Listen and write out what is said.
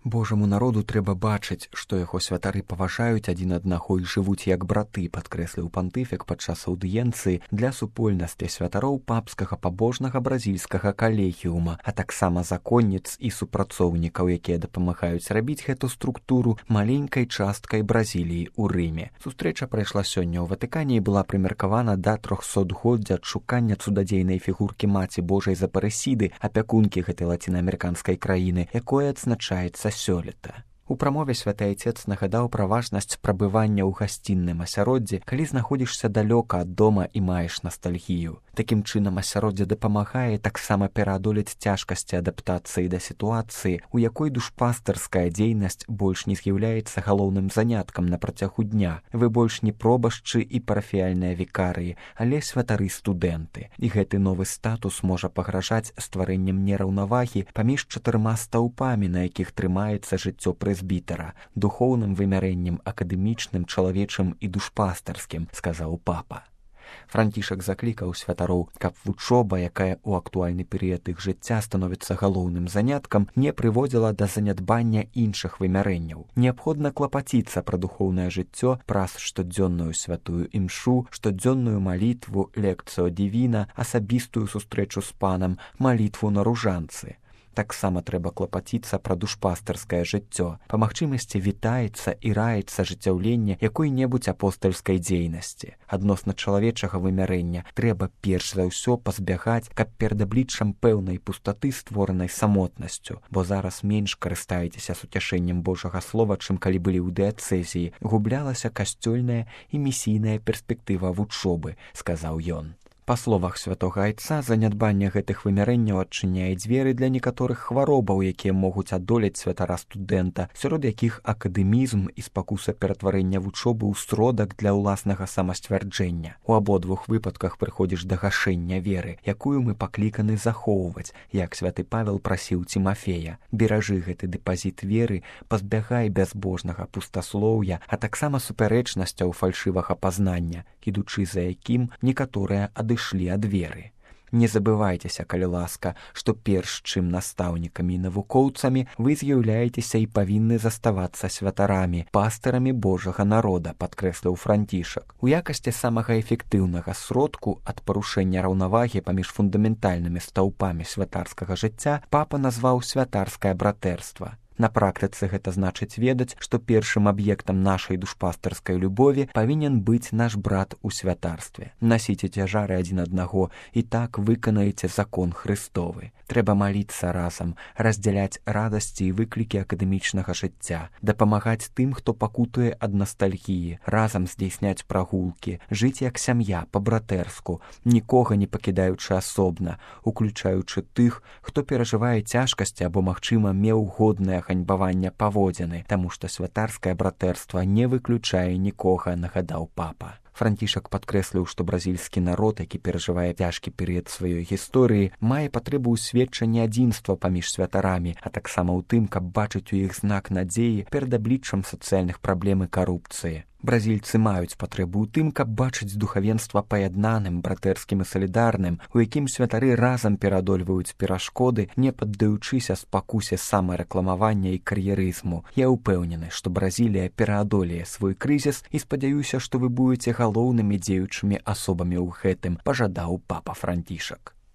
Божаму народу трэба бачыць, што яго святары паважаюць адзін аднаго і жывуць як браты, падкрэсліў пантыфік падчас аўдыенцыі для супольнасці святароў папскага пабожнага бразільскага калегіума, а таксама законніц і супрацоўнікаў, якія дапамагаюць рабіць гэту структуру маленькай часткай Бразіліі ў Рыме. Сустрэча прайшла сёння ў Ватыкане і была прымеркавана да 300-годдзя адшукання цудадзейнай фігуркі Маці Божай з Апарэсіды, апякункі гэтай лацінаамерыканскай краіны, якое адзначаецца сёлета. У прамове святы айцец нагадаў пра важнасць прабывання ў гасцінным асяроддзі, калі знаходзішся далёка ад дома і маеш настальгію. Такім чынам асяроддзе дапамагае таксама пераадолець цяжкасці адаптацыі да сітуацыі, у якой душпастарская дзейнасць больш не з'яўляецца галоўным заняткам на працягу дня. Вы больш не пробашчы і парафіяльныя вікарыі, але святары-студэнты. І гэты новы статус можа пагражаць стварэннем нераўнавагі паміж 4 стаўпамі, на якіх трымаецца жыццё прэзбітара, духоўным вымярэннем акадэмічным, чалавечым і душпастарскім, сказаў папа. Францішак заклікаў святароў, каб вучоба, якая ў актуальны перыяд іх жыцця становіцца галоўным заняткам, не прыводзіла да занядбання іншых вымярэнняў. Неабходна клапаціцца пра духоўнае жыццё праз штодзённую святую імшу, штодзённую малітву, лекцыо дівіна, асабістую сустрэчу з панам, малітву на ружанцы. Таксама трэба клапаціцца пра душпастарскае жыццё. Па магчымасці вітаецца і раіцца ажыццяўленне якой-небудзь апостальскай дзейнасці. Адносна чалавечага вымярэння трэба перш за ўсё пазбягаць, каб перад абліччам пэўнай пустаты, створанай самотнасцю, бо зараз менш карыстаецеся суцяшэннем Божага слова, чым калі былі ў дыяцэзіі, гублялася касцёльная і місійная перспектыва вучобы, сказаў ён. Па словах святога айца, занядбанне гэтых вымярэнняў адчыняе дзверы для некаторых хваробаў, якія могуць адолець святара-студэнта, сярод якіх акадэмізм і спакуса ператварэння вучобы ў сродак для ўласнага самасцвярджэння. У абодвух выпадках прыходзіш да гашэння веры, якую мы пакліканы захоўваць, як святы Павел прасіў Цімафея. Беражы гэты дэпазіт веры, пазбягай бязбожнага пустаслоўя, а таксама супярэчнасцяў фальшывага пазнання, ідучы за якім некаторыя адышлі ад веры. Не забывайцеся, калі ласка, што перш чым настаўнікамі і навукоўцамі вы з'яўляецеся і павінны заставацца святарамі, пастырамі Божага народа, падкрэсліў Францішак. У якасці самага эфектыўнага сродку ад парушэння раўнавагі паміж фундаментальнымі стаўпамі святарскага жыцця папа назваў святарскае братэрства. На практыцы гэта значыць ведаць, што першым аб'ектам нашай душпастарскай любові павінен быць наш брат у святарстве. Насіце цяжары адзін аднаго і так выканаеце закон Христовы. Трэба маліцца разам, раздзяляць радасці і выклікі акадэмічнага жыцця, дапамагаць тым, хто пакутуе ад настальгіі, разам здзейсняць прагулкі, жыць як сям'я, па-братэрску, нікога не пакідаючы асобна, уключаючы тых, хто перажывае цяжкасці або, магчыма, меў годнае ганьбавання паводзіны, таму што святарскае братэрства не выключае нікога, нагадаў папа. Францішак падкрэсліў, што бразільскі народ, які перажывае цяжкі перыяд сваёй гісторыі, мае патрэбу ў сведчанні адзінства паміж святарамі, а таксама ў тым, каб бачыць у іх знак надзеі перад абліччам сацыяльных праблем і карупцыі. Бразільцы маюць патрэбу ў тым, каб бачыць духавенства паяднаным, братэрскім і салідарным, у якім святары разам пераадольваюць перашкоды, не паддаючыся спакусе самарэкламавання і кар'ерызму. Я ўпэўнены, што Бразілія пераадолее свой крызіс і спадзяюся, што вы будзеце галоўнымі дзеючымі асобамі ў гэтым, пажадаў папа Францішак.